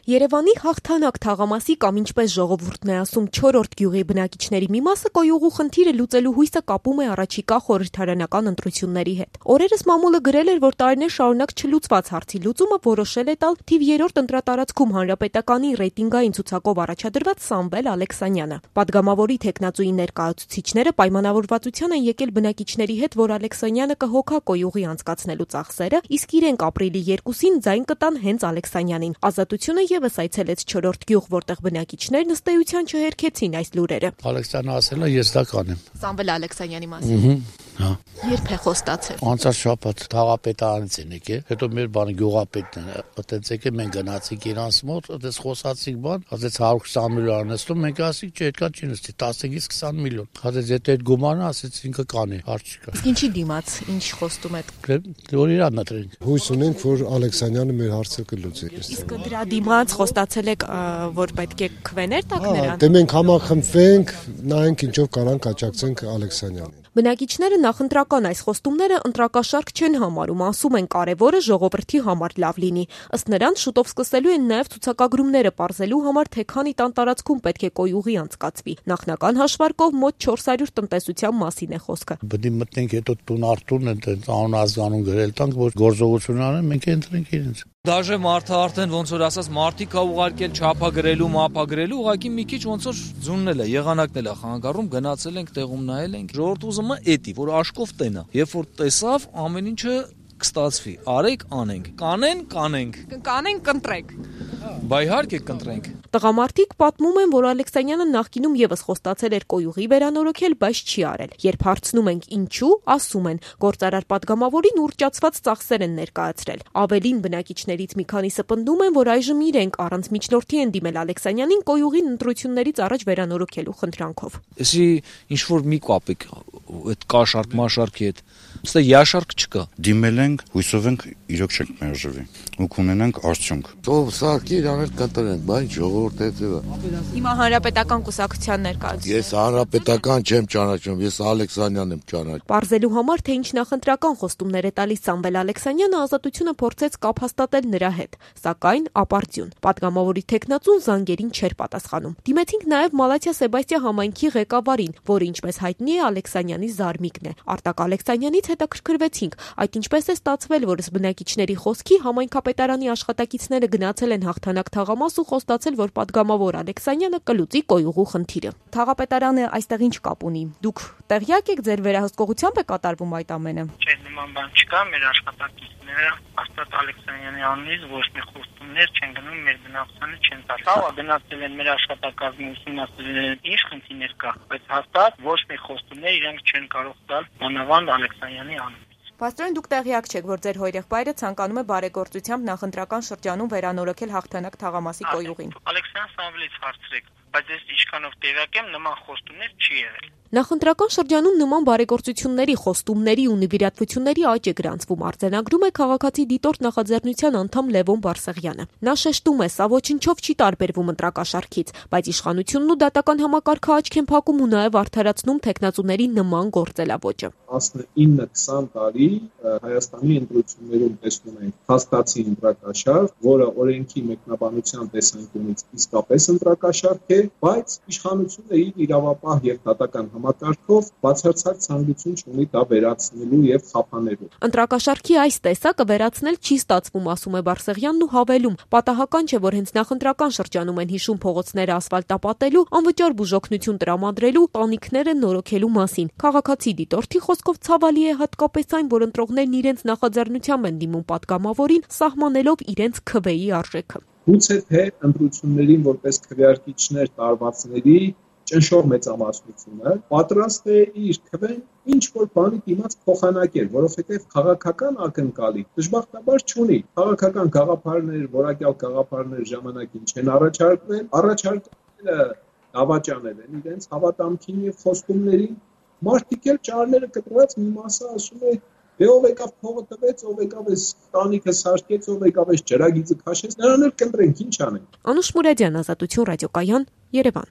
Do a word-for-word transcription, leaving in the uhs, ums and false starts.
Երևանի հաղթանակ թաղամասի կամ ինչպես ժողովուրդն է ասում չորրորդ գյուղի բնակիչների մի մասը կոյուղու խնդիրը լուծելու հույսը կապում է առաջիկա խորհրդարանական ընտրությունների հետ։ Օրերս մամուլը գրել էր, որ տարիներ շարունակ չլուծված հարցի լուծումը որոշել է տալ թիվ երրորդ ընտրատարածքում Հանրապետականի ռեյտինգային ցուցակով առաջադրված Սամվել Ալեքսանյանը։ Պատգամավորի թեկնածուի ներկայացուցիչները պայմանավորվածության են եկել բնակիչների հետ, որ Ալեքսանյանը կհոգա կոյուղի անցկացնելու ծախսերը, իսկ իրենք ապրիլի երկուսին ձայն կտան հենց Ալեքսանյանին։ Ազատությունը ևս այցելեց չորրորդ գյուղ, որտեղ բնակիչներն ըստ էության չհերքեցին այս լուրերը։ Ալեքսյանը ասել է, ես դա կանեմ։ Սամվել Ալեքսանյանի մասին։ Հա։ Երբ է խոստացել։ Անցած շաբաթ թաղապետարանից են եկել, հետո մեր բանը գյուղապետն է, այդտենց եկել մենք գնացինք իրանց մոտ, այդպես խոսացինք բան, ասեց հարյուր քսան միլիոն անեցնում, մենք ասինք չէ, այդքան չի նստի, տասնից քսան միլիոն։ Ասեց եթե այդ գումարը ասեց ինքը կանի, հարց չկա։ Իսկ ինչի դիմաց, ինչ խոստում եք։ Որ իրան նտրենք։ Հույս ունենք, որ Ալեքսանյանը մեր հարցը կլուծի։ Իսկ դրա դիմաց խոստացել եք, որ պետք է քվեներ տաք նրան։ Դե մենք համախմբվենք, նայենք ինչով կարանք աջակցենք Ալեքսանյանին։ Բնակիչները նախընտրական այս խոստումները ընտրակաշարք չեն համարում, ասում են կարևորը ժողովրդի համար լավ լինի։ Ըստ նրանց շուտով սկսելու են նաև ցուցակագրումները պարզելու համար, թե քանի տան տարածքում պետք է կոյուղի անցկացվի։ Նախնական հաշվարկով մոտ չորս հարյուր տնտեսության մասին է խոսքը։ Բդի մտնենք հետո տուն արտուն են անուն ազգանուն գրել տանք, որ գործողություն անեն, մենք ընտրենք իրենց։ Դաժե մարդը արդեն ոնց որ ասած մարտիկ է ուղարկել չափագրելու, մափագրելու, ուղղակի մի քիչ ոնց որ ձուննել է, եղանակնել է խանգարում, գնացել ենք, տեղում նայել ենք։ Ժողովուրդը ուզում է էդի, որ աշկով տենա։ Երբ որ տեսավ, ամեն ինչը կստացվի։ Արեք, անենք, կանեն, կանենք։ Կանենք, կընտրենք։ Բա իհարկե կընտրենք։ Տղամարդիկ պատմում են, որ Ալեքսանյանը նախկինում եւս խոստացել էր կոյուղի վերանորոգել, բայց չի արել։ Երբ հարցնում ենք ինչու, ասում են, գործարար պատգամավորին ուռճացված ծախսեր են ներկայացրել։ Ավելին բնակիչներից մի քանիսը պնդում են, որ այժմ իրենք առանց միջնորդի են դիմել Ալեքսանյանին կոյուղին ընտրություններից առաջ վերանորոգելու խնդրանքով։ Էսի ինչ որ մի կապեք այդ կաշարք մաշարքի հետ։ Ստե յաշարք չկա։ Դիմել ենք, հույսով ենք իրոք չենք մերժվի ու կունենանք արդյունք։ Ով սարքի իրաներ կտրենք, բայց ժողովուրդը հետևը։ Հիմա Հանրապետական կուսակցության ներկայացուցիչ։ Ես Հանրապետական չեմ ճանաչում, ես Ալեքսանյանն եմ ճանաչում։ Պարզելու համար, թե ինչ նախընտրական խոստումներ է տալիս Սամվել Ալեքսանյանը, Ազատությունը փորձեց կապ հաստատել նրա հետ, սակայն ապարդյուն։ Պատգամավորի թեկնածուն զանգերին չէր պատասխանում։ Դիմեցինք նաև Մալաթիա Սեբաստիա համայնքի ղեկավարին, որը ինչպես հայտնի է Ալեքսանյանի զարմիկն է։ Արտակ Ալեքսանյանից հետաքրքրվեցինք, այդ ինչպես է ստացվել, որ բնակիչների խոսքի համայնքապետարանի աշխատակիցները գնացել են հաղթանակ թաղամաս ու խոստացել, որ պատգամավոր Ալեքսանյանը կլուծի կոյուղու խնդիրը։ Թաղապետարանը այստեղ ինչ կապ ունի։ Դուք տեղյակ եք, ձեր վերահսկողությամբ է կատարվում այդ ամենը։ Չէ, նման բան չկա, մեր աշխատակիցները հաստատ Ալեքսանյանի անունից ոչ մի խոստումներ չեն գնում, մեր բնակչությանը չեն տալ։ Հա, գնացել են մեր աշխատակազմի ուսումնասիրել են ինչ խնդիրներ կա, բայց հաստատ ոչ մի խոստումներ իրենք չեն կարող տալ մանավանդ Ալեքսանյանի անունից։ Պաստորեն, դուք տեղյակ չեք, որ ձեր հորեղբայրը ցանկանում է բարեգործությամբ նախընտրական շրջանում վերանորոգել հաղթանակ թաղամասի կոյուղին։ Ալեքսան Սամվելից հարցրեք, բայց ես ինչքանով տեղյակ եմ, նման խոստումներ չի եղել։ Նախընտրական շրջանում նման բարեգործությունների, խոստումների ու նվիրատվությունների աճ է գրանցվում, արձանագրում է քաղաքացի դիտորդ նախաձեռնության անդամ Լևոն Բարսեղյանը։ Նա շեշտում է, սա ոչնչով չի տարբերվում ընտրակաշառքից, բայց իշխանությունն ու դատական համակարգը աչք են փակում ու նաև արդարացնում թեկնածուների նման գործելավոճը։ տասնինը քսան տարի Հայաստանի ընտրություններում տեսնում ենք հաստացի ընտրակաշառք, որը օրենքի մեկնաբանության տեսանկյունից իսկապես ընտրակաշառք է, բայց իշխանությունը իր իրավապահ եւ դատական համակարգով բացարձակ ցանկություն չունի դա վերացնելու եւ խափանելու։ Ընտրակաշառքի այս տեսակը վերացնել չի ստացվում, ասում է Բարսեղյանն ու հավելում. պատահական չէ, որ հենց նախընտրական շրջանում են հիշում փողոցները ասֆալտապատելու, անվճար բուժօգնություն տրամադրելու, տանիքները նորոգելու մասին։ Քաղաքացի դիտորդի խոսքով ցավալի է հատկապես այն, որ ընտրողներն իրենց նախաձեռնությամբ են դիմում պատգամավորին, սահմանելով իրենց քվեի արժեքը։ Գուցե թե ընտրություններին որպես քվեարկիչներ տարվածների ճնշող մեծամասնությունը պատրաստ է իր քվեն ինչ որ բանի դիմաց փոխանակել, որովհետև քաղաքական ակնկալի դժբախտաբար չունի։ Քաղաքական գաղափարներ, որակյալ գաղափարներ ժամանակին չեն առաջարկվել, առաջարկները դավաճանել են իրենց հավատամքին եւ խոստումներին։ Մարդիկ էլ ճարները կտրված մի մասը ասում է դե ով եկավ փողը տվեց, ով եկավ էս տանիքը սարքեց, ով եկավ էս ջրագիծը քաշեց, նրան էլ կընտրենք, ինչ անենք։ Անուշ Մուրադյան, Ազատություն ռադիոկայան, Երևան։